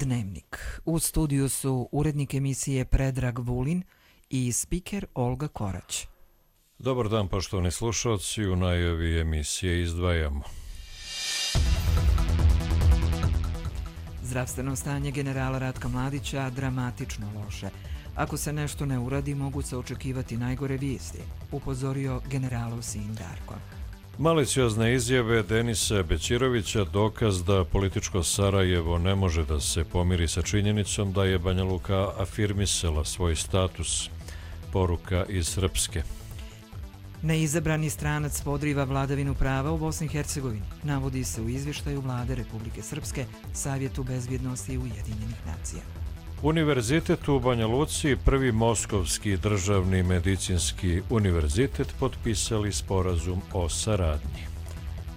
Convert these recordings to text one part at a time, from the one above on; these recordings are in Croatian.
Dnevnik. U studiju su urednik emisije Predrag Vulin i spiker Olga Korać. Dobar dan, poštovani slušalci, u najavi emisije izdvajamo. Zdravstveno stanje generala Ratka Mladića dramatično loše. Ako se nešto ne uradi, mogu se očekivati najgore vijesti, upozorio generalov sin Darko. Maliciozne izjave Denisa Bećirovića dokaz da političko Sarajevo ne može da se pomiri sa činjenicom da je Banja Luka afirmisala svoj status. Poruka iz Srpske. Neizabrani stranac podriva vladavinu prava u Bosni i Hercegovini, navodi se u izvještaju Vlade Republike Srpske, Savjetu bezbjednosti Ujedinjenih nacija. Univerzitet u Banja Luci, prvi Moskovski državni medicinski univerzitet, potpisali sporazum o saradnji.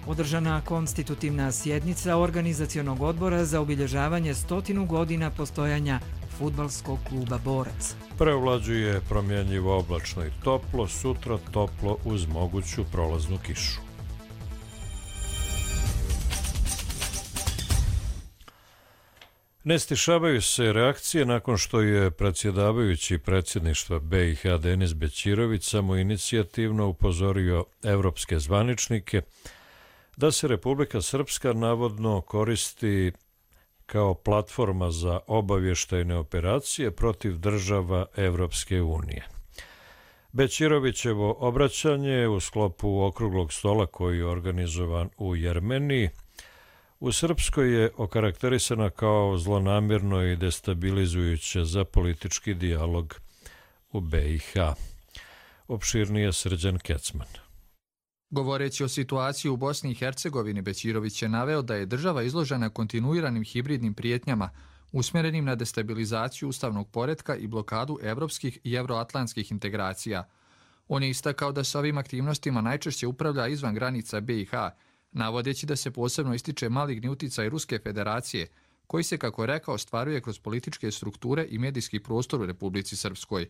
Održana konstitutivna sjednica Organizacionog odbora za obilježavanje 100 godina postojanja fudbalskog kluba Borac. Preovlađuje promjenjivo oblačno i toplo, sutra toplo uz moguću prolaznu kišu. Ne stišavaju se reakcije nakon što je predsjedavajući predsjedništva BiH Denis Bećirović samoinicijativno upozorio evropske zvaničnike da se Republika Srpska navodno koristi kao platforma za obavještajne operacije protiv država Evropske unije. Bećirovićevo obraćanje u sklopu okruglog stola koji je organizovan u Jermeniji u Srpskoj je okarakterisana kao zlonamjerno i destabilizujuće za politički dijalog u BiH. Opširnije Srđan Kecman. Govoreći o situaciji u Bosni i Hercegovini, Bećirović je naveo da je država izložena kontinuiranim hibridnim prijetnjama usmjerenim na destabilizaciju ustavnog poretka i blokadu evropskih i euroatlantskih integracija. On je istakao da se ovim aktivnostima najčešće upravlja izvan granica BiH, navodeći da se posebno ističe maligni uticaj Ruske federacije, koji se, kako je rekao, ostvaruje kroz političke strukture i medijski prostor u Republici Srpskoj.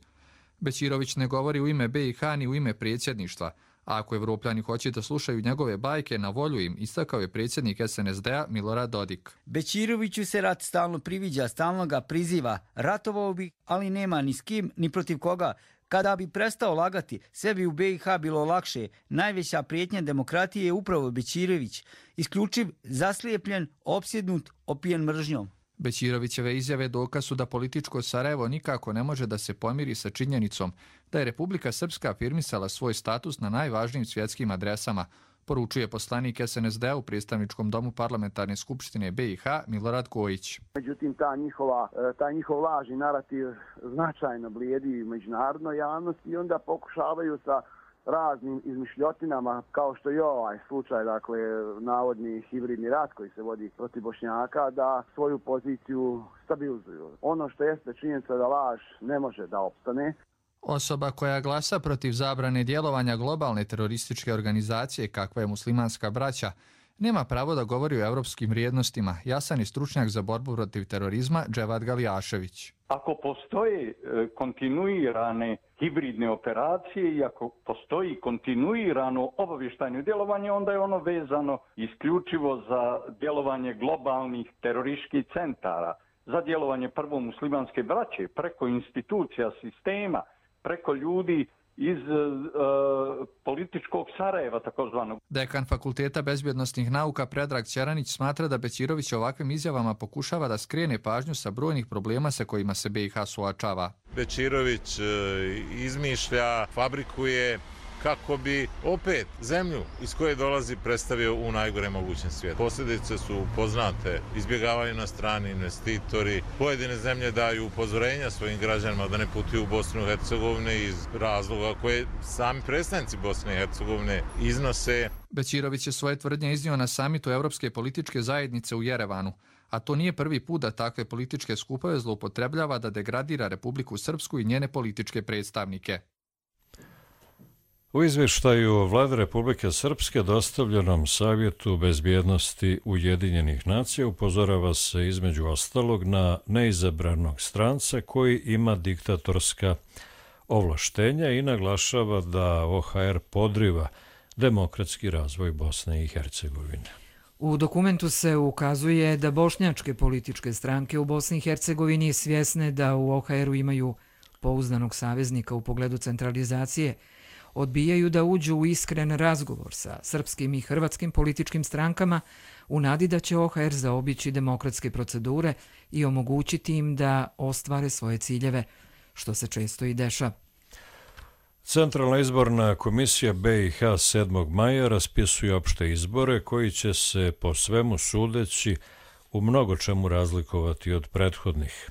Bećirović ne govori u ime BiH ni u ime predsjedništva, a ako Evropljani hoće da slušaju njegove bajke, na volju im, istakao je predsjednik SNSD-a Milorad Dodik. Bećiroviću se rat stalno priviđa, stalno ga priziva. Ratovao bi, ali nema ni s kim, ni protiv koga. Kada bi prestao lagati, sve bi u BiH bilo lakše. Najveća prijetnja demokratije je upravo Bećirović. Isključiv, zaslijepljen, opsjednut, opijen mržnjom. Bećirovićeve izjave dokaz su da političko Sarajevo nikako ne može da se pomiri sa činjenicom da je Republika Srpska afirmisala svoj status na najvažnijim svjetskim adresama, poručuje poslanik SNSD-a u predstavničkom domu Parlamentarne skupštine BiH Milorad Kojić. Međutim, taj njihov lažni narativ značajno blijedi u međunarodnoj javnosti i onda pokušavaju sa raznim izmišljotinama, kao što je ovaj slučaj, dakle, navodni hibridni rat koji se vodi protiv Bošnjaka, da svoju poziciju stabilizuju. Ono što jeste činjenica da laž ne može da opstane. Osoba koja glasa protiv zabrane djelovanja globalne terorističke organizacije kakva je Muslimanska braća nema pravo da govori o evropskim vrijednostima, jasan je stručnjak za borbu protiv terorizma Dževad Galijašević. Ako postoje kontinuirane hibridne operacije i ako postoji kontinuirano obavještajno djelovanje, onda je ono vezano isključivo za djelovanje globalnih terorističkih centara, za djelovanje prvo muslimanske braće, preko institucija sistema, preko ljudi iz političkog Sarajeva, takozvanog. Dekan Fakulteta bezbjednostnih nauka Predrag Ćeranić smatra da Bećirović ovakvim izjavama pokušava da skrene pažnju sa brojnih problema sa kojima se BiH suočava. Bećirović izmišlja, fabrikuje kako bi opet zemlju iz koje dolazi predstavio u najgore mogućem svijetu. Posljedice su poznate, izbjegavaju na strani investitori, pojedine zemlje daju upozorenja svojim građanima da ne putuju u Bosnu i Hercegovinu iz razloga koje sami predstavnici Bosne i Hercegovine iznose. Bećirović je svoje tvrdnje iznio na samitu Evropske političke zajednice u Jerevanu, a to nije prvi put da takve političke skupove zloupotrebljava da degradira Republiku Srpsku i njene političke predstavnike. U izvještaju Vlade Republike Srpske dostavljenom Savjetu bezbjednosti Ujedinjenih nacija upozorava se između ostalog na neizabranog stranca koji ima diktatorska ovlaštenja i naglašava da OHR podriva demokratski razvoj Bosne i Hercegovine. U dokumentu se ukazuje da bošnjačke političke stranke u Bosni i Hercegovini svjesne da u OHR-u imaju pouzdanog saveznika u pogledu centralizacije, odbijaju da uđu u iskren razgovor sa srpskim i hrvatskim političkim strankama u nadi da će OHR zaobići demokratske procedure i omogućiti im da ostvare svoje ciljeve, što se često i dešava. Centralna izborna komisija BiH 7. maja raspisuje opšte izbore koji će se po svemu sudeći u mnogo čemu razlikovati od prethodnih.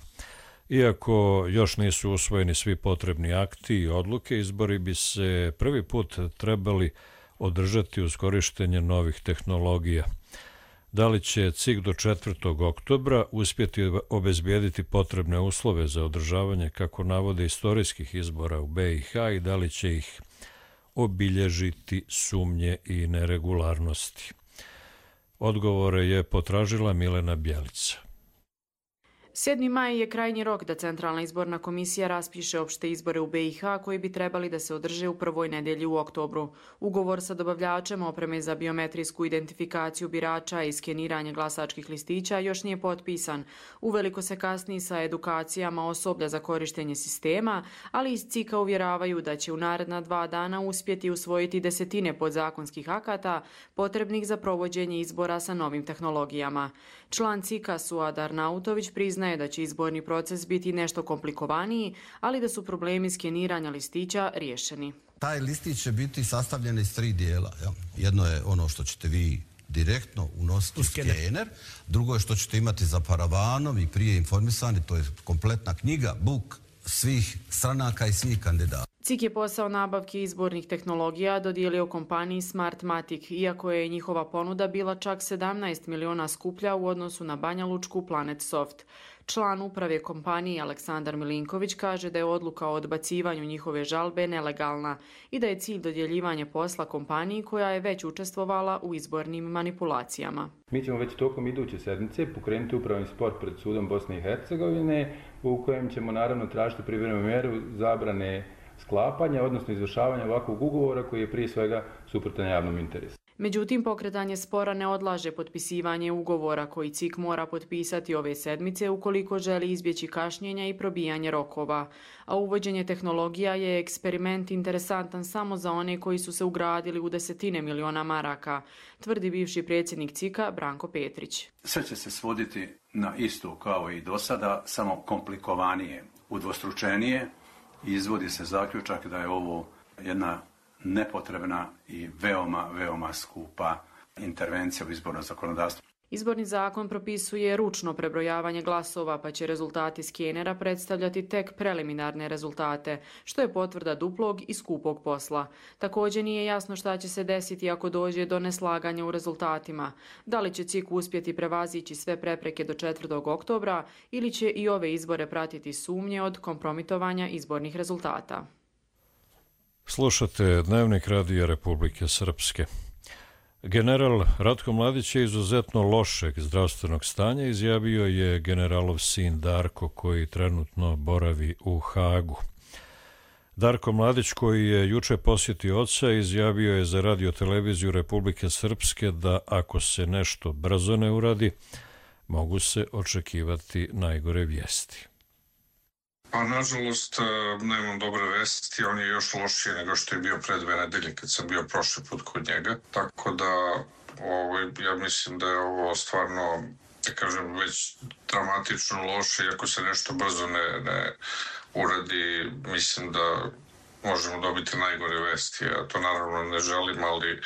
Iako još nisu usvojeni svi potrebni akti i odluke, izbori bi se prvi put trebali održati uz korištenje novih tehnologija. Da li će CIK do 4. oktobra uspjeti obezbijediti potrebne uslove za održavanje, kako navode, istorijskih izbora u BiH i da li će ih obilježiti sumnje i neregularnosti? Odgovore je potražila Milena Bjelica. 7. maj je krajnji rok da Centralna izborna komisija raspiše opšte izbore u BiH koji bi trebali da se održe u prvoj nedelji u oktobru. Ugovor sa dobavljačem opreme za biometrijsku identifikaciju birača i skeniranje glasačkih listića još nije potpisan. Uveliko se kasni sa edukacijama osoblja za korištenje sistema, ali iz CIK-a uvjeravaju da će u naredna 2 dana uspjeti usvojiti desetine podzakonskih akata potrebnih za provođenje izbora sa novim tehnologijama. Član CIK-a Suad Arnautović priznaje da će izborni proces biti nešto komplikovaniji, ali da su problemi skeniranja listića riješeni. Taj listić će biti sastavljen iz 3 dijela. Jedno je ono što ćete vi direktno unositi u skener, drugo je što ćete imati za paravanom i prije informisani, to je kompletna knjiga, book svih stranaka i svih kandidata. CIK je posao nabavke izbornih tehnologija dodijelio kompaniji Smartmatic, iako je njihova ponuda bila čak 17 miliona skuplja u odnosu na banjalučku PlanetSoft. Član uprave kompanije Aleksandar Milinković kaže da je odluka o odbacivanju njihove žalbe nelegalna i da je cilj dodjeljivanje posla kompaniji koja je već učestvovala u izbornim manipulacijama. Mi ćemo već tokom iduće sedmice pokrenuti upravni spor pred sudom Bosne i Hercegovine u kojem ćemo naravno tražiti privremenu mjeru zabrane sklapanja, odnosno izvršavanja ovakvog ugovora koji je prije svega suprotan javnom interesu. Međutim, pokretanje spora ne odlaže potpisivanje ugovora koji CIK mora potpisati ove sedmice ukoliko želi izbjeći kašnjenja i probijanje rokova. A uvođenje tehnologija je eksperiment interesantan samo za one koji su se ugradili u desetine miliona maraka, tvrdi bivši predsjednik CIK-a Branko Petrić. Sve će se svoditi na isto kao i do sada, samo komplikovanije, udvostručenije. Izvodi se zaključak da je ovo jedna nepotrebna i veoma skupa intervencija u izborno zakonodavstvo. Izborni zakon propisuje ručno prebrojavanje glasova, pa će rezultati skenera predstavljati tek preliminarne rezultate, što je potvrda duplog i skupog posla. Također nije jasno šta će se desiti ako dođe do neslaganja u rezultatima. Da li će CIK uspjeti prevazići sve prepreke do 4. oktobra ili će i ove izbore pratiti sumnje od kompromitovanja izbornih rezultata. Slušate Dnevnik Radija Republike Srpske. General Ratko Mladić je izuzetno lošeg zdravstvenog stanja, izjavio je generalov sin Darko, koji trenutno boravi u Hagu. Darko Mladić, koji je juče posjetio oca, izjavio je za Radio-televiziju Republike Srpske da ako se nešto brzo ne uradi, mogu se očekivati najgore vijesti. Pa, nažalost, nemam dobre vesti, on je još lošiji nego što je bio pre 2 nedelje kad sam bio prošli put kod njega. Tako da, ja mislim da je ovo stvarno, da kažem, već dramatično loše i ako se nešto brzo ne uradi, mislim da možemo dobiti najgore vesti. Ja to naravno ne želim, ali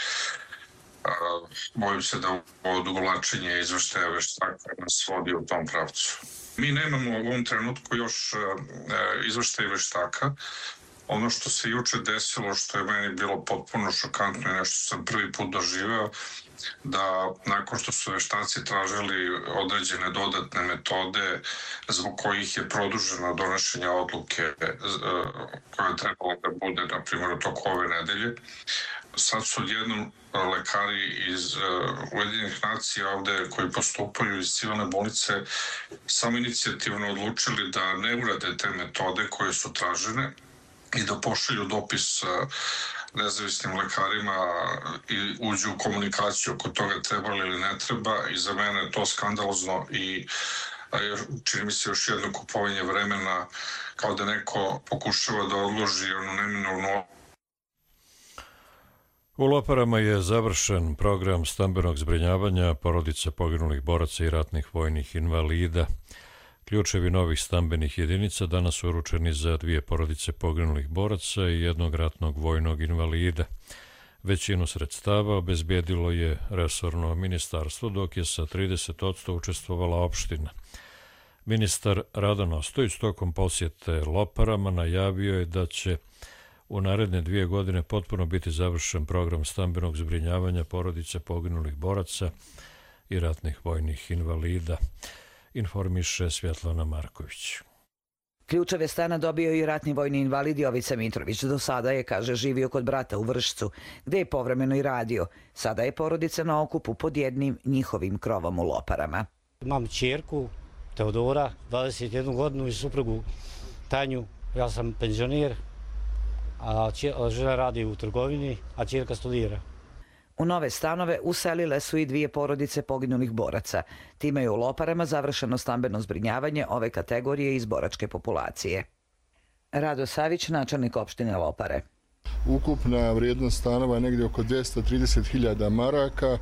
bojim se da ovo odugovlačenje izveštaja veštaka nas vodi u tom pravcu. Mi nemamo u ovom trenutku još izveštaj veštaka. Ono što se juče desilo, što je meni bilo potpuno šokantno i nešto sam prvi put doživeo, da nakon što su veštaci tražili određene dodatne metode zbog kojih je produženo donošenje odluke koja je trebalo da bude, na primjer, u toku ove nedelje, sad su odjednom lekari iz Ujedinjenih nacija ovde koji postupaju iz civilne bolnice samo inicijativno odlučili da ne urade te metode koje su tražene i da pošalju dopis nezavisnim lekarima i uđu u komunikaciju oko toga treba ili ne treba i za mene je to skandalozno i čini mi se još jedno kupovanje vremena kao da neko pokušava da odloži ono neminovno. U Loparama je završen program stambenog zbrinjavanja porodica poginulih boraca i ratnih vojnih invalida. Ključevi novih stambenih jedinica danas su uručeni za 2 porodice poginulih boraca i 1 ratnog vojnog invalida. Većinu sredstava obezbjedilo je resorno ministarstvo, dok je sa 30% učestvovala opština. Ministar Radan Ostojić tokom posjete Loparama najavio je da će u naredne 2 godine potpuno biti završen program stambenog zbrinjavanja porodice poginulih boraca i ratnih vojnih invalida, informiše Svjetlana Marković. Ključeve stana dobio i ratni vojni invalid Jovica Mitrović. Do sada je, kaže, živio kod brata u Vršcu, gde je povremeno i radio. Sada je porodica na okupu pod jednim njihovim krovom u Loparama. Imam ćerku Teodora, 21 godinu i suprugu Tanju. Ja sam penzioner, a žena radi u trgovini, a ćerka studira. U nove stanove uselile su i 2 porodice poginulih boraca. Time je u Loparama završeno stambeno zbrinjavanje ove kategorije iz boračke populacije. Rado Savić, načelnik opštine Lopare. Ukupna vrijednost stanova je negdje oko 230.000 maraka,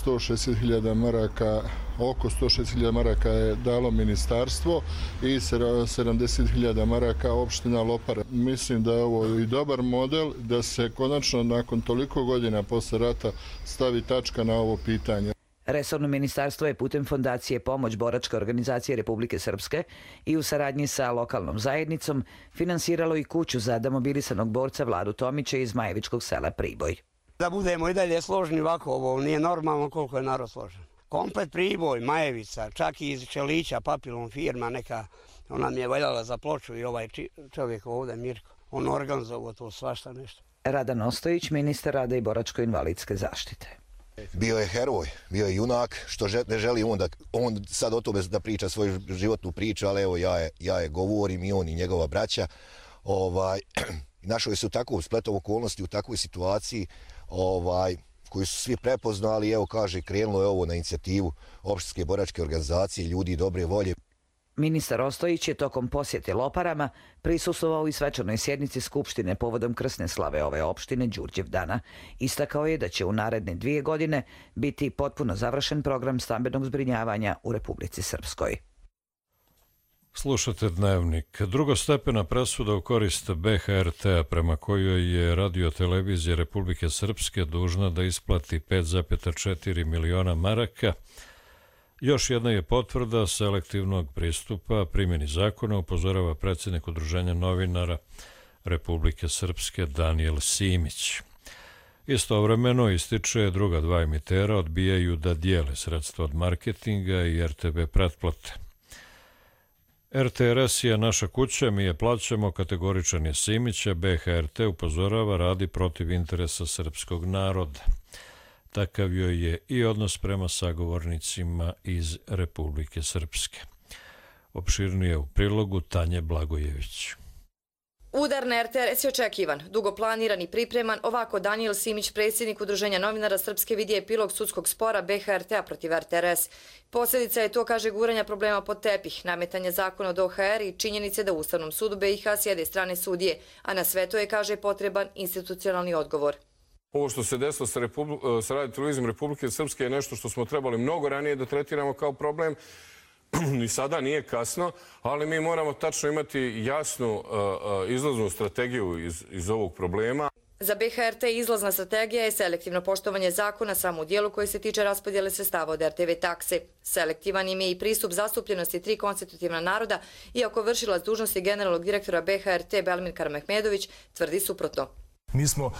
160.000 maraka, oko 160.000 maraka je dalo ministarstvo i 70.000 maraka opština Lopare. Mislim da je ovo i dobar model da se konačno nakon toliko godina posle rata stavi tačka na ovo pitanje. Resorno ministarstvo je putem Fondacije Pomoć boračke organizacije Republike Srpske i u saradnji sa lokalnom zajednicom finansiralo i kuću za demobilisanog borca Vladu Tomića iz Majevičkog sela Priboj. Da budemo i dalje složni ovako, ovo nije normalno koliko je narod složen. Komplet Priboj, Majevica, čak i iz Čelića, Papilon firma neka, ona mi je valjala za ploču i ovaj čovjek ovdje, Mirko, on organizovao to svašta nešto. Radan Ostojić, ministar rada i boračko-invalidske zaštite. Bio je heroj, bio je junak, što ne želi on sad o tome da priča svoju životnu priču, ali evo ja je govorim i on i njegova braća. Našli su takvu spletom okolnosti u takvoj situaciji koju su svi prepoznali, evo kaže, krenulo je ovo na inicijativu opštinske boračke organizacije, ljudi dobre volje. Ministar Ostojić je tokom posjete Loparama prisustvovao i svečanoj sjednici Skupštine povodom krsne slave ove opštine Đurđevdana. Istakao je da će u naredne 2 godine biti potpuno završen program stambenog zbrinjavanja u Republici Srpskoj. Slušate Dnevnik. Drugostepena presuda u korist BHRT-a prema kojoj je Radio-televizija Republike Srpske dužna da isplati 5,4 miliona maraka. Još jedna je potvrda selektivnog pristupa primjeni zakona, upozorava predsjednik Udruženja novinara Republike Srpske Danijel Simić. Istovremeno ističe druga 2 emitera odbijaju da dijele sredstva od marketinga i RTB pretplate. RTRS je naša kuća, mi je plaćamo, kategoričan je Simića, BHRT upozorava radi protiv interesa srpskog naroda. Takav joj je i odnos prema sagovornicima iz Republike Srpske. Opširnije u prilogu Tanje Blagojević. Udar na RTRS je očekivan, dugo planiran i pripreman, ovako Danijel Simić, predsjednik Udruženja novinara Srpske, vidi epilog sudskog spora BHRT-a protiv RTRS. Posljedica je to, kaže, guranja problema pod tepih, nametanje zakona od OHR i činjenice da u Ustavnom sudu BiH sjede strane sudije, a na sve to je, kaže, potreban institucionalni odgovor. Ovo što se desilo sa Radio-televizijom Republike Srpske je nešto što smo trebali mnogo ranije da tretiramo kao problem. Ni sada nije kasno, ali mi moramo tačno imati jasnu izlaznu strategiju iz ovog problema. Za BHRT izlazna strategija je selektivno poštovanje zakona samo u dijelu koji se tiče raspodjele sredstava od RTV takse. Selektivan im je i pristup zastupljenosti 3 konstitutivna naroda, iako vršilac dužnosti generalnog direktora BHRT Belmir Karamehmedović tvrdi suprotno. Mi smo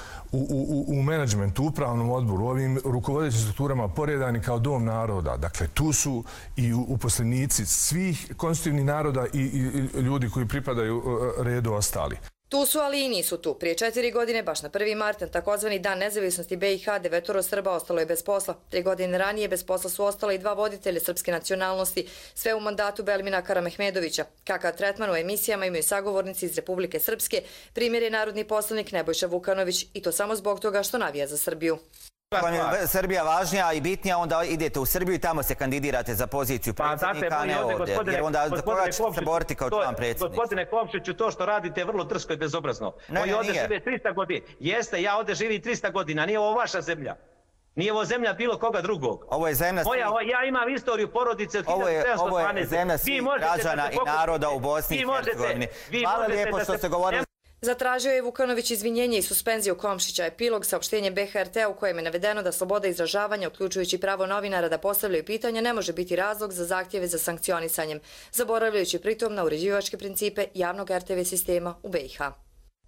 u menadžmentu, upravnom odboru, ovim rukovodećim strukturama poredani kao dom naroda. Dakle, tu su i uposlenici svih konstitutivnih naroda i ljudi koji pripadaju redu ostali. Tu su, ali i nisu tu. Prije 4 godine, baš na 1. mart, na takozvani Dan nezavisnosti BiH, 9 Srba ostalo je bez posla. 3 godine ranije bez posla su ostala i 2 voditelja srpske nacionalnosti, sve u mandatu Belmina Karamehmedovića. Kakav tretman u emisijama imaju sagovornici iz Republike Srpske, primjer je narodni poslanik Nebojša Vukanović, i to samo zbog toga što navija za Srbiju. Ako vam je Srbija važnija i bitnija, onda idete u Srbiju i tamo se kandidirate za poziciju predsjednika, a ne ovdje. Jer onda za koga ćete se boriti kao član predsjednika? Gospodine Komšiću, to što radite je vrlo drsko i bezobrazno. Oni ovdje žive 300 godina. Jeste, ja ovdje živim 300 godina, nije ovo vaša zemlja. Nije ovo zemlja bilo koga drugog. Ovo je zemlja svih... Ja imam istoriju porodice od 1912. Ovo je zemlja svih građana i naroda u Bosni i Hercegovini. Hvala lijepo što ste govorili. Zatražio je Vukanović izvinjenje i suspenziju Komšića. Epilog saopštenje BHRT u kojem je navedeno da sloboda izražavanja, uključujući pravo novinara da postavljaju pitanja, ne može biti razlog za zahtjeve za sankcionisanjem, zaboravljajući pritom na uređivačke principe javnog RTV sistema u BiH.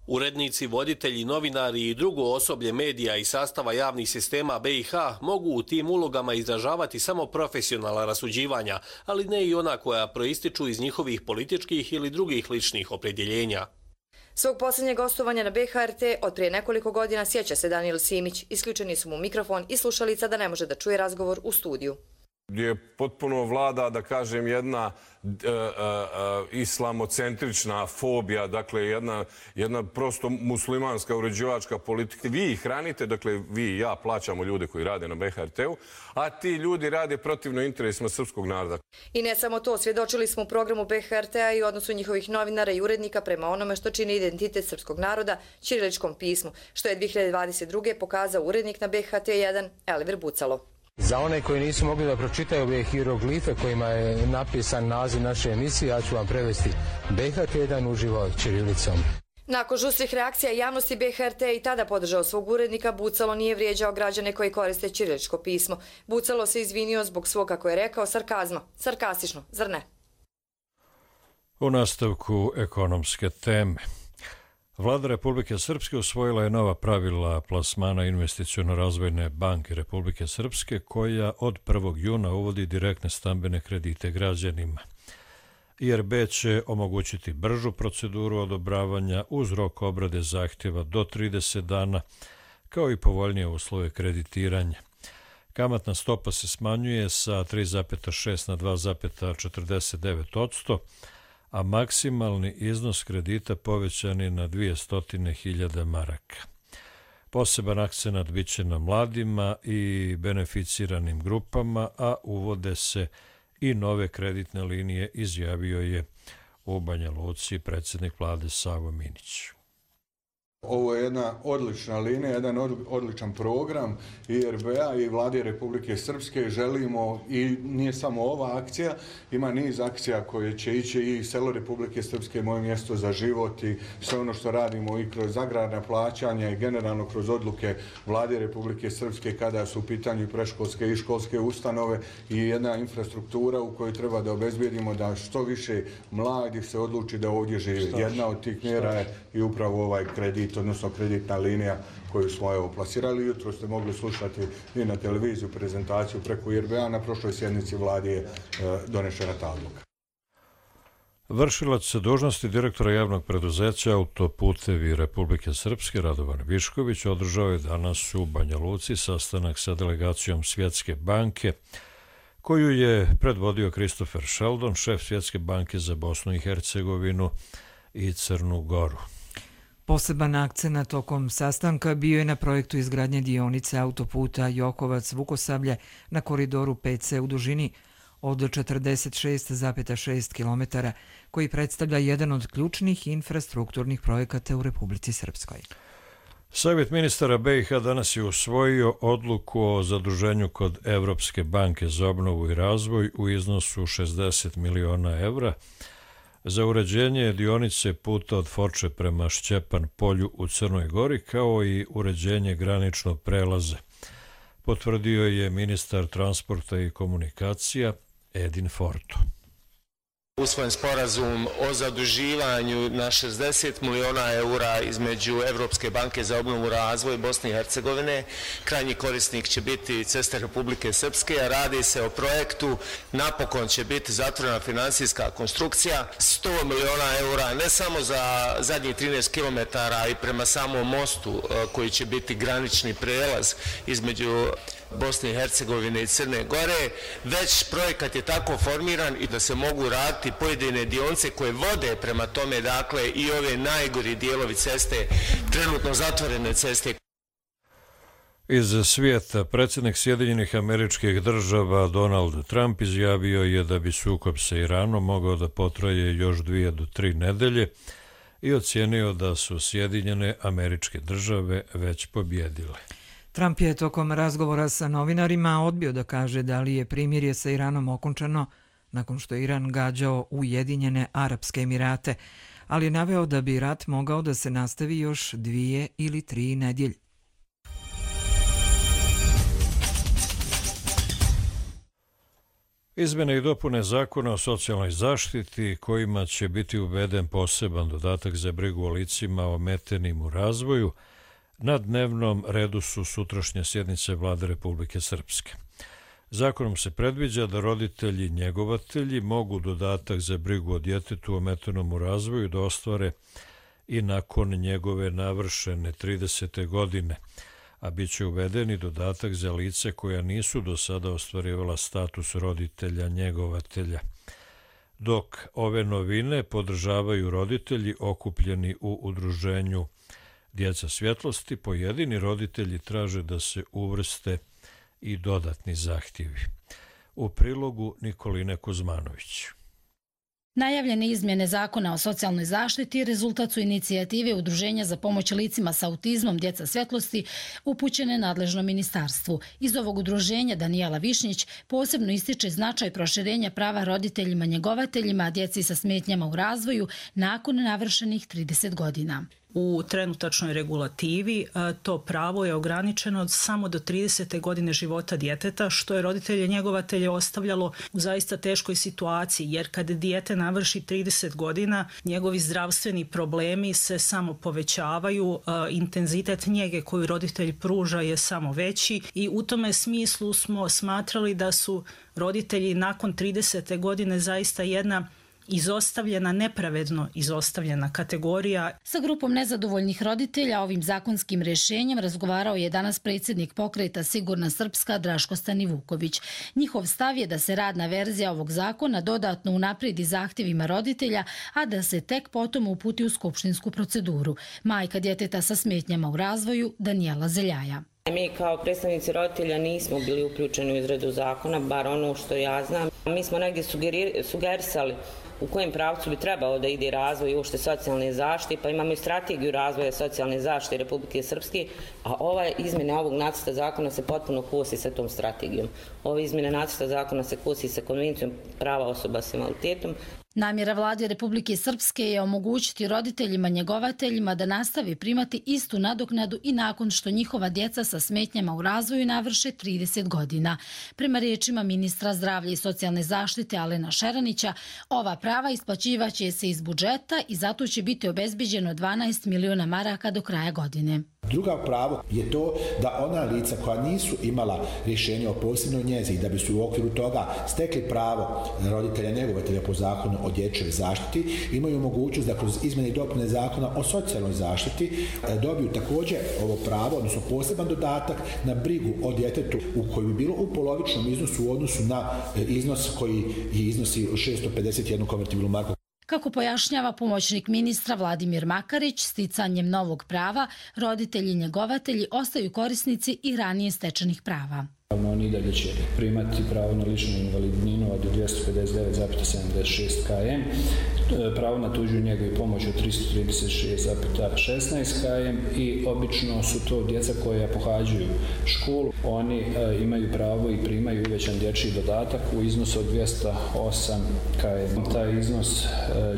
Urednici, voditelji, novinari i drugo osoblje medija i sastava javnih sistema BiH mogu u tim ulogama izražavati samo profesionalna rasuđivanja, ali ne i ona koja proističu iz njihovih političkih ili drugih ličnih opredjeljenja. Svog posljednjeg gostovanja na BHRT od prije nekoliko godina sjeća se Danijel Simić. Isključeni su mu mikrofon i slušalica da ne može da čuje razgovor u studiju. Gdje potpuno vlada, da kažem, jedna islamocentrična fobija, dakle jedna prosto muslimanska uređivačka politika. Vi ih hranite, dakle vi i ja plaćamo ljude koji rade na BHRT-u, a ti ljudi rade protivno interesima srpskog naroda. I ne samo to, svjedočili smo u programu BHRT-a i odnosu njihovih novinara i urednika prema onome što čini identitet srpskog naroda, ćiriličkom pismu, što je 2022. pokazao urednik na BHT1 Elvir Bucalo. Za one koji nisu mogli da pročitaju ove hieroglife kojima je napisan naziv naše emisije, ja ću vam prevesti BHT1 uživo ćirilicom. Nakon žustrih reakcija javnosti, BHRT i tada podržao svog urednika. Bucalo nije vrijeđao građane koji koriste ćiriličko pismo. Bucalo se izvinio zbog svog, kako je rekao, sarkazma. Sarkastično, zar ne? U nastavku ekonomske teme. Vlada Republike Srpske usvojila je nova pravila plasmana Investiciono-razvojne banke Republike Srpske, koja od 1. juna uvodi direktne stambene kredite građanima. IRB će omogućiti bržu proceduru odobravanja uz rok obrade zahtjeva do 30 dana, kao i povoljnije uslove kreditiranja. Kamatna stopa se smanjuje sa 3,6 na 2,49%, a maksimalni iznos kredita povećan je na 200.000 maraka. Poseban akcenat biće na mladima i beneficiranim grupama, a uvode se i nove kreditne linije, izjavio je u Banja Luci predsjednik vlade Savo Minić. Ovo je jedna odlična linija, jedan odličan program IRB-a i Vlade Republike Srpske. Želimo, i nije samo ova akcija, ima niz akcija koje će ići i selo Republike Srpske, moje mjesto za život i sve ono što radimo i kroz agrarna plaćanja i generalno kroz odluke Vlade Republike Srpske kada su u pitanju preškolske i školske ustanove i jedna infrastruktura u kojoj treba da obezbijedimo da što više mladih se odluči da ovdje živi. Jedna od tih mjera je i upravo ovaj kredit, odnosno kreditna linija koju smo plasirali. Jutro ste mogli slušati i na televiziju prezentaciju preko IRB-a. Na prošloj sjednici vlade je donešena ta odluka. Vršilac dužnosti direktora javnog preduzeća Autoputevi Republike Srpske Radovan Višković održao je danas u Banja Luci sastanak sa delegacijom Svjetske banke, koju je predvodio Christopher Sheldon, šef Svjetske banke za Bosnu i Hercegovinu i Crnu Goru. Poseban akcenat tokom sastanka bio je na projektu izgradnje dionice autoputa Jokovac-Vukosablje na koridoru 5C u dužini od 46,6 km, koji predstavlja jedan od ključnih infrastrukturnih projekata u Republici Srpskoj. Savjet ministara BiH danas je usvojio odluku o zaduženju kod Evropske banke za obnovu i razvoj u iznosu 60 miliona evra za uređenje dionice puta od Foče prema Šćepan polju u Crnoj Gori, kao i uređenje graničnog prelaza, potvrdio je ministar transporta i komunikacija Edin Forto. Usvojen sporazum o zaduživanju na 60 miliona eura između Evropske banke za obnovu i razvoj Bosne i Hercegovine. Krajnji korisnik će biti Ceste Republike Srpske, a radi se o projektu. Napokon će biti zatvorena finansijska konstrukcija. 100 miliona eura ne samo za zadnjih 13 km i prema samom mostu koji će biti granični prelaz između Bosne i Hercegovine i Crne Gore, već projekat je tako formiran i da se mogu raditi pojedine dionce koje vode prema tome, dakle i ove najgori dijelovi ceste, trenutno zatvorene ceste. Iz svijeta predsjednik Sjedinjenih Američkih Država Donald Trump izjavio je da bi sukob sa Iranom mogao da potraje još 2 do 3 nedelje i ocijenio da su Sjedinjene Američke Države već pobjedile. Trump je tokom razgovora sa novinarima odbio da kaže da li je primirje sa Iranom okončano nakon što je Iran gađao Ujedinjene Arapske Emirate, ali je naveo da bi rat mogao da se nastavi još 2 ili 3 nedelje. Izmjene i dopune zakona o socijalnoj zaštiti kojima će biti uveden poseban dodatak za brigu o licima ometenim u razvoju na dnevnom redu su sutrašnje sjednice Vlade Republike Srpske. Zakonom se predviđa da roditelji njegovatelji mogu dodatak za brigu o djetetu ometenom u razvoju da ostvare i nakon njegove navršene 30. godine, a bit će uveden i dodatak za lice koja nisu do sada ostvarivala status roditelja njegovatelja. Dok ove novine podržavaju roditelji okupljeni u udruženju Djeca svjetlosti, pojedini roditelji traže da se uvrste i dodatni zahtjevi. U prilogu Nikoline Kuzmanović. Najavljene izmjene zakona o socijalnoj zaštiti rezultat su inicijative Udruženja za pomoć licima sa autizmom Djeca svjetlosti upućene nadležnom ministarstvu. Iz ovog udruženja Danijela Višnjić posebno ističe značaj proširenja prava roditeljima njegovateljima djeci sa smetnjama u razvoju nakon navršenih 30 godina. U trenutačnoj regulativi to pravo je ograničeno samo do 30. godine života djeteta, što je roditelje njegovatelje ostavljalo u zaista teškoj situaciji, jer kad dijete navrši 30 godina, njegovi zdravstveni problemi se samo povećavaju, intenzitet njege koju roditelj pruža je samo veći i u tome smislu smo smatrali da su roditelji nakon 30. godine zaista jedna izostavljena, nepravedno izostavljena kategorija. Sa grupom nezadovoljnih roditelja ovim zakonskim rješenjem razgovarao je danas predsjednik pokreta Sigurna Srpska Draško Stanivuković. Njihov stav je da se radna verzija ovog zakona dodatno unaprijedi zahtjevima roditelja, a da se tek potom uputi u skupštinsku proceduru. Majka djeteta sa smetnjama u razvoju Danijela Zeljaja. Mi kao predstavnici roditelja nismo bili uključeni u izradu zakona, bar ono što ja znam. Mi smo negdje sugerisali u kojem pravcu bi trebalo da ide razvoj i uopšte socijalne zaštite, pa imamo i strategiju razvoja socijalne zaštite Republike Srpske, a ove izmjene ovog nacrta zakona se potpuno kosi sa tom strategijom. Ove izmjene nacrta zakona se kosi sa konvencijom prava osoba s invaliditetom. Namjera Vlade Republike Srpske je omogućiti roditeljima njegovateljima da nastavi primati istu nadoknadu i nakon što njihova djeca sa smetnjama u razvoju navrše 30 godina. Prema riječima ministra zdravlja i socijalne zaštite Alena Šeranića, ova prava isplaćivaće se iz budžeta i zato će biti obezbeđeno 12 miliona maraka do kraja godine. Druga pravo je to da ona lica koja nisu imala rješenje o posebnoj njezi i da bi su u okviru toga stekli pravo roditelja njegovatelja po zakonu o dječjoj zaštiti, imaju mogućnost da kroz izmjene i dopune zakona o socijalnoj zaštiti dobiju također ovo pravo, odnosno poseban dodatak na brigu o djetetu u koji bi bilo u polovičnom iznosu u odnosu na iznos koji iznosi 651 konvertibilnu marku. Kako pojašnjava pomoćnik ministra Vladimir Makarić, sticanjem novog prava, roditelji i njegovatelji ostaju korisnici i ranije stečenih prava. Oni dalje će primati pravo na ličnu invalidninu od 259,76 km, pravo na tuđu njegu i pomoć od 336,16 km i obično su to djeca koja pohađaju školu. Oni imaju pravo i primaju uvećan dječji dodatak u iznosu od 208 km. Taj iznos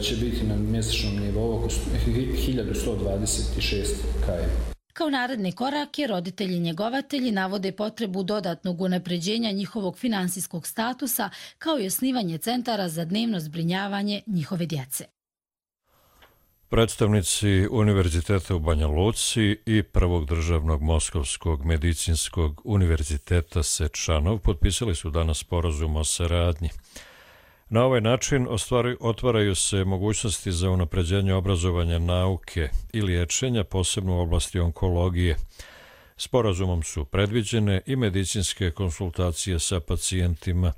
će biti na mjesečnom nivou oko 1126 km. Kao naredne korake, roditelji njegovatelji navode potrebu dodatnog unapređenja njihovog finansijskog statusa, kao i osnivanje centara za dnevno zbrinjavanje njihove djece. Predstavnici Univerziteta u Banja Luci i Prvog državnog Moskovskog medicinskog univerziteta Sečanov potpisali su danas sporazum o saradnji. Na ovaj način otvaraju se mogućnosti za unapređenje obrazovanja nauke i liječenja, posebno u oblasti onkologije. Sporazumom su predviđene i medicinske konsultacije sa pacijentima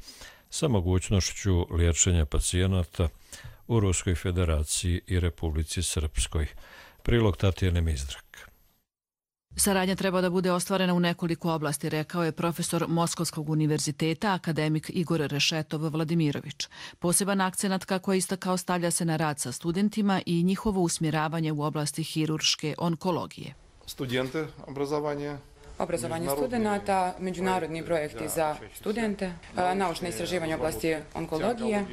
sa mogućnošću liječenja pacijenata u Ruskoj federaciji i Republici Srpskoj. Prilog Tatjane Mizdrak. Saradnja treba da bude ostvarena u nekoliko oblasti, rekao je profesor Moskovskog univerziteta, akademik Igor Rešetov Vladimirović. Poseban akcenat, kako je istakao, stavlja se na rad sa studentima i njihovo usmjeravanje u oblasti hirurške onkologije. Studente, obrazovanje studenta, međunarodni projekti za studente, naučne istraživanje u oblasti onkologije,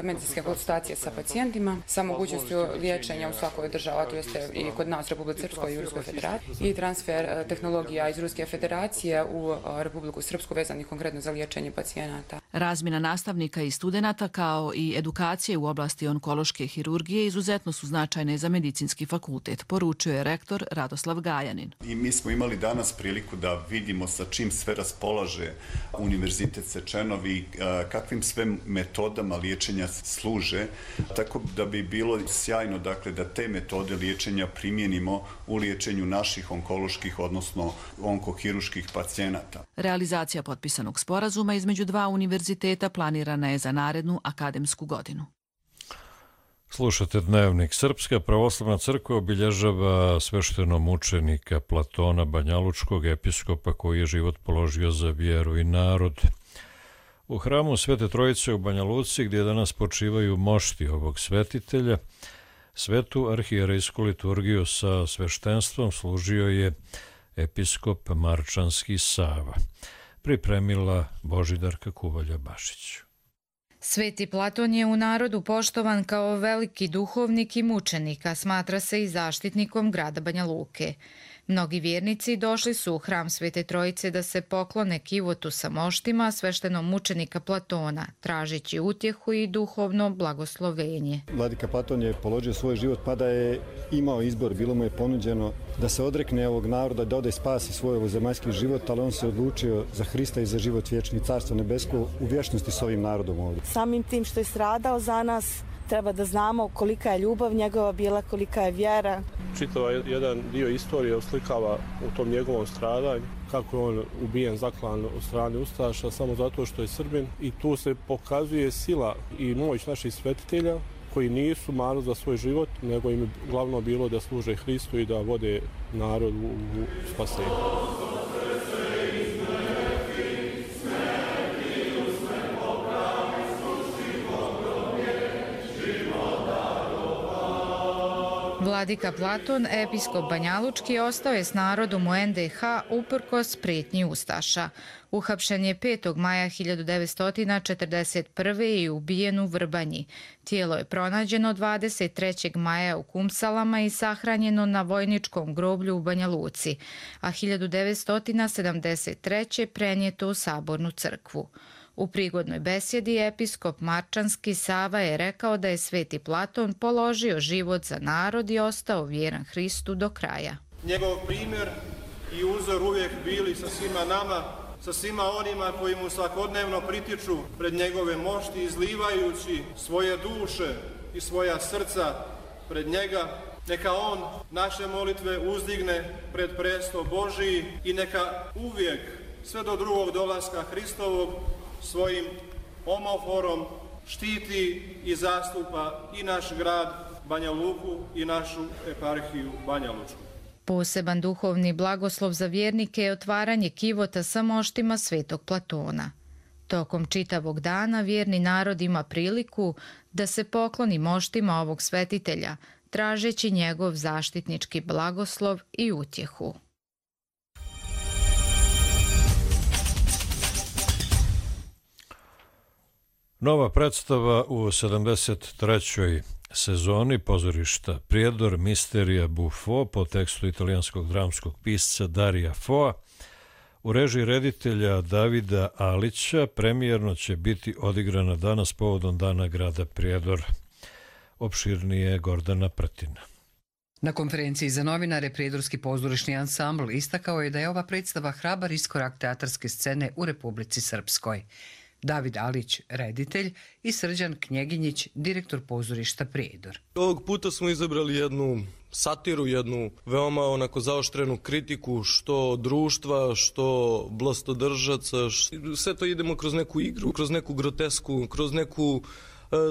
medicinske konsultacije sa pacijentima, sa mogućnošću liječenja u svakoj država, to jeste i kod nas u Republici Srpskoj i u Ruskoj federaciji, i transfer tehnologija iz Ruske federacije u Republiku Srpsku vezanih konkretno za liječenje pacijenata. Razmjena nastavnika i studenata kao i edukacije u oblasti onkološke hirurgije izuzetno su značajne za medicinski fakultet, poručio je rektor Radoslav Gajanin. Mi smo imali danas priliku da vidimo sa čim sve raspolaže Univerzitet Sečanov i kakvim sve metodama liječenja služe, tako da bi bilo sjajno dakle, da te metode liječenja primijenimo u liječenju naših onkoloških, odnosno onkohiruških pacijenata. Realizacija potpisanog sporazuma između dva univerziteta planirana je za narednu akademsku godinu. Slušate Dnevnik. Srpska pravoslavna crkva obilježava sveštenomučenika Platona Banjalučkog, episkopa koji je život položio za vjeru i narod. U hramu Svete Trojice u Banja Luci, gdje danas počivaju mošti ovog svetitelja, svetu arhijerejsku liturgiju sa sveštenstvom služio je episkop Marčanski Sava. Pripremila Božidarka Kuvalja-Bašić. Sveti Platon je u narodu poštovan kao veliki duhovnik i mučenik, a smatra se i zaštitnikom grada Banja Luke. Mnogi vjernici došli su u hram Svete Trojice da se poklone kivotu sa moštima sveštenog mučenika Platona, tražeći utjehu i duhovno blagoslovenje. Vladika Platon je položio svoj život pa da je imao izbor, bilo mu je ponuđeno da se odrekne ovog naroda, da ode spasi svoj ovozemaljski život, ali on se odlučio za Hrista i za život vječni, carstvo nebesko u vječnosti s ovim narodom ovdje. Samim tim što je stradao za nas, treba da znamo kolika je ljubav njegova bila, kolika je vjera. Čitava jedan dio istorije oslikava u tom njegovom stradanju, kako je on ubijen, zaklan od strane ustaša samo zato što je Srbin, i tu se pokazuje sila i moć naših svetitelja koji nisu marili za svoj život, nego im je glavno bilo da služe Hristu i da vode narod u spasenje. Vladika Platon, episkop Banjalučki, ostao je s narodom u NDH uprkos prijetnji ustaša. Uhapšen je 5. maja 1941. i ubijen u Vrbanji. Tijelo je pronađeno 23. maja u Kumsalama i sahranjeno na vojničkom groblju u Banja Luci, a 1973. prenijeto u Sabornu crkvu. U prigodnoj besjedi episkop Marčanski Sava je rekao da je Sveti Platon položio život za narod i ostao vjeran Hristu do kraja. Njegov primjer i uzor uvijek bili sa svima nama, sa svima onima koji mu svakodnevno pritiču pred njegove mošti, izlivajući svoje duše i svoja srca pred njega. Neka on naše molitve uzdigne pred presto Božiji i neka uvijek, sve do drugog dolaska Hristovog, svojim omoforom štiti i zastupa i naš grad Banja Luku i našu eparhiju Banja Lučku. Poseban duhovni blagoslov za vjernike je otvaranje kivota sa moštima Svetog Platona. Tokom čitavog dana vjerni narod ima priliku da se pokloni moštima ovog svetitelja, tražeći njegov zaštitnički blagoslov i utjehu. Nova predstava u 73. sezoni pozorišta Prijedor, Misterija Buffo po tekstu italijanskog dramskog pisca Darija Foa u režiji reditelja Davida Alića premijerno će biti odigrana danas povodom Dana grada Prijedor. Opširnije Gordana Prtina. Na konferenciji za novinare Prijedorski pozorišni ansambl istakao je da je ova predstava hrabar iskorak teatarske scene u Republici Srpskoj. David Alić, reditelj, i Srđan Knjeginjić, direktor pozorišta Prijedor. Ovog puta smo izabrali jednu satiru, jednu veoma onako zaoštrenu kritiku, što društva, što vlastodržaca. Sve to idemo kroz neku igru, kroz neku grotesku, kroz neku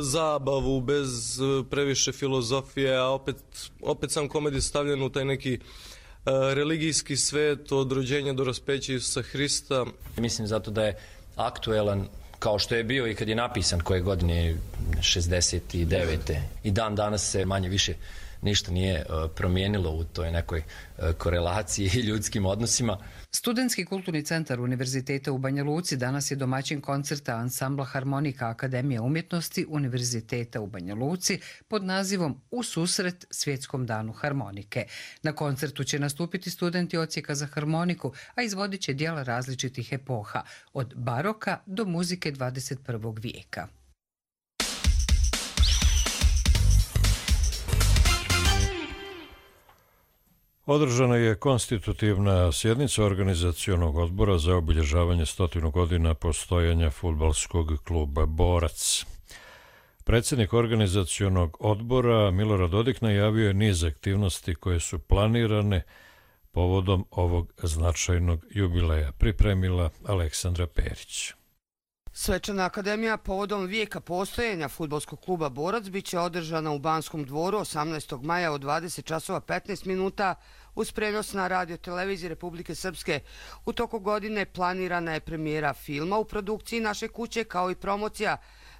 zabavu, bez previše filozofije, a opet sam komedij stavljen u taj neki religijski svet od rođenja do raspeća Isusa Hrista. Mislim zato da je aktuelan kao što je bio i kad je napisan koje godine 69. I dan danas se manje više ništa nije promijenilo u toj nekoj korelaciji i ljudskim odnosima. Studentski kulturni centar Univerziteta u Banja Luci danas je domaćin koncerta ansambla Harmonika Akademije umjetnosti Univerziteta u Banja Luci pod nazivom U susret Svjetskom danu harmonike. Na koncertu će nastupiti studenti odsjeka za harmoniku, a izvodit će djela različitih epoha, od baroka do muzike 21. vijeka. Održana je konstitutivna sjednica organizacionog odbora za obilježavanje 100 godina postojanja fudbalskog kluba Borac. Predsjednik organizacionog odbora Milorad Dodik najavio je niz aktivnosti koje su planirane povodom ovog značajnog jubileja. Pripremila Aleksandra Perić. Svečana akademija povodom vijeka postojanja fudbalskog kluba Borac biće održana u Banskom dvoru 18. maja od 20 časova 15 minuta uz prenos na radio televiziji Republike Srpske. U toku godine planirana je premijera filma u produkciji naše kuće kao i promocija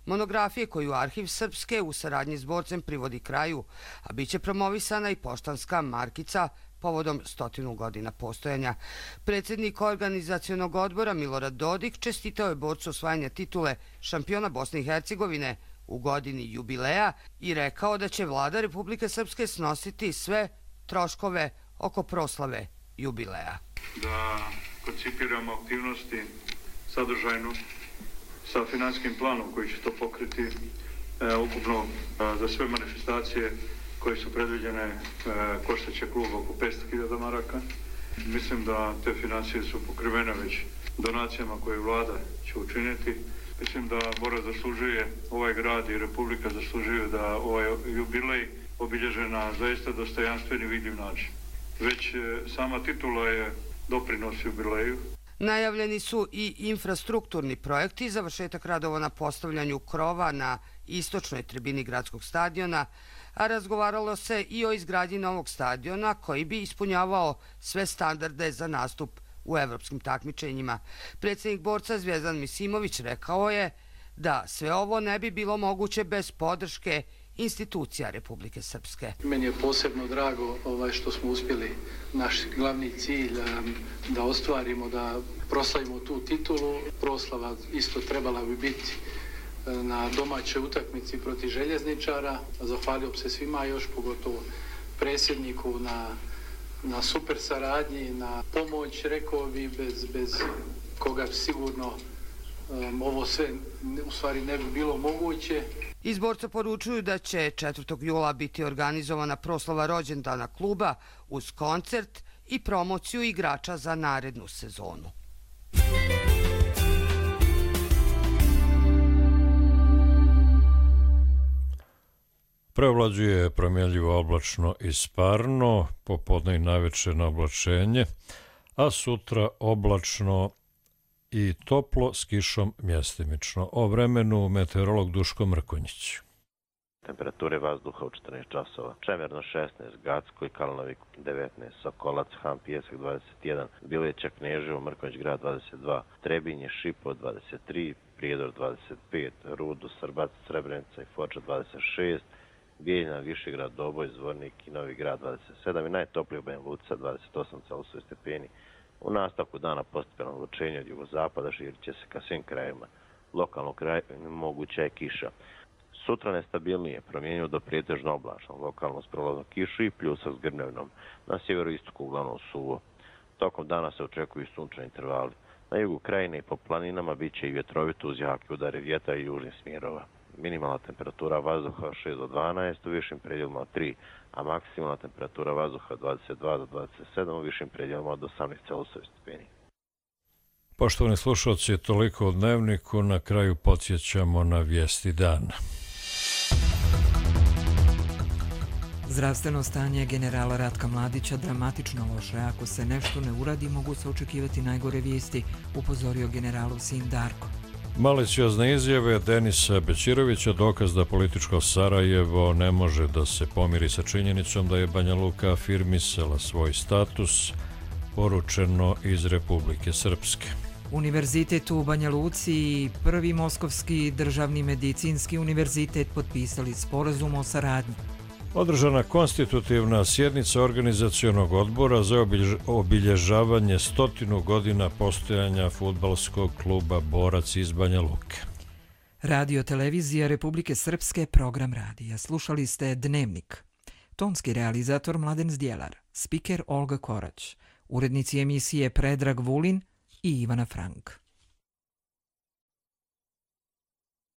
monografije koju Arhiv Srpske u saradnji s borcem privodi kraju, a bit će promovisana i poštanska markica povodom 100 godina postojanja. Predsjednik organizacionog odbora Milorad Dodik čestitao je borcu osvajanja titule šampiona Bosne i Hercegovine u godini jubileja i rekao da će vlada Republike Srpske snositi sve troškove oko proslave jubileja. Da koncipiramo aktivnosti sadržajno sa finansijskim planom koji će to pokriti ukupno za sve manifestacije koje su predviđene koštaće klub oko 500.000 maraka. Mislim da te financije su pokrivene već donacijama koje vlada će učiniti. Mislim da Borac zaslužuje, ovaj grad i Republika zaslužuju da ovaj jubilej obilježe na zaista dostojanstveni i vidljiv način. Već sama titula je doprinos jubileju. Najavljeni su i infrastrukturni projekti, završetak radova na postavljanju krova na istočnoj tribini gradskog stadiona, a razgovaralo se i o izgradnji novog stadiona koji bi ispunjavao sve standarde za nastup u evropskim takmičenjima. Predsjednik borca Zvjezdan Misimović rekao je da sve ovo ne bi bilo moguće bez podrške institucija Republike Srpske. Meni je posebno drago što smo uspjeli naš glavni cilj da ostvarimo, da proslavimo tu titulu. Proslava isto trebala bi biti na domaćoj utakmici protiv Željezničara. Zahvalio bi se svima, još pogotovo predsjedniku na super saradnji, na pomoć, rekao bi, bez koga sigurno ovo sve u stvari ne bi bilo moguće. Iz borca poručuju da će 4. jula biti organizovana proslava rođendana kluba uz koncert i promociju igrača za narednu sezonu. Preovlađuje promjenljivo oblačno i sparno, popodne i navečerno oblačenje, a sutra oblačno i toplo s kišom mjestimično. O vremenu meteorolog Duško Mrkonjić. Temperature vazduha u 14 časova. Čemerno 16, Gacko i Kalnovik 19, Sokolac, Han, Pijesak 21, Bileća, Kneževo, Mrkonjić grad 22, Trebinje, Šipo 23, Prijedor 25, Rudo, Srbac, Srebrenica i Foča 26, Bijeljina, Višegrad, Doboj, Zvornik i Novi grad 27 i najtopliji u Banja Luka 28 stepeni. U nastavku dana postepeno oblačenje od jugozapada širit će se ka svim krajevima. Lokalno kraj moguća je kiša. Sutra nestabilnije, promjenjivo do prijetežno oblačno, lokalno s prolazom kiše i pljusak s grmljavnom. Na sjeveroistoku uglavnom suvo. Tokom dana se očekuju sunčani intervali. Na jugu krajine i po planinama bit će i vjetrovito uz jake udare vjetra i južnih smjerova. Minimalna temperatura vazduha 6 do 12, u višim predjelima od 3, a maksimalna temperatura vazduha 22 do 27, u višim predjelima od 18,8 stupnjeva. Poštovani slušalci, toliko o dnevniku, na kraju podsjećamo na vijesti dana. Zdravstveno stanje generala Ratka Mladića dramatično loše. Ako se nešto ne uradi, mogu se očekivati najgore vijesti, upozorio generalov sin Darko. Maliciozne izjave Denisa Bećirovića dokaz da političko Sarajevo ne može da se pomiri sa činjenicom da je Banja Luka afirmisala svoj status, poručeno iz Republike Srpske. Univerzitet u Banja Luci i Prvi Moskovski državni medicinski univerzitet potpisali sporazum o saradnji. Održana konstitutivna sjednica organizacionog odbora za obilježavanje 100 godina postojanja fudbalskog kluba Borac iz Banja Luke. Radio televizija Republike Srpske, program radija. Slušali ste Dnevnik. Tonski realizator Mladen Zdjelar, spiker Olga Korać, urednici emisije Predrag Vulin i Ivana Frank.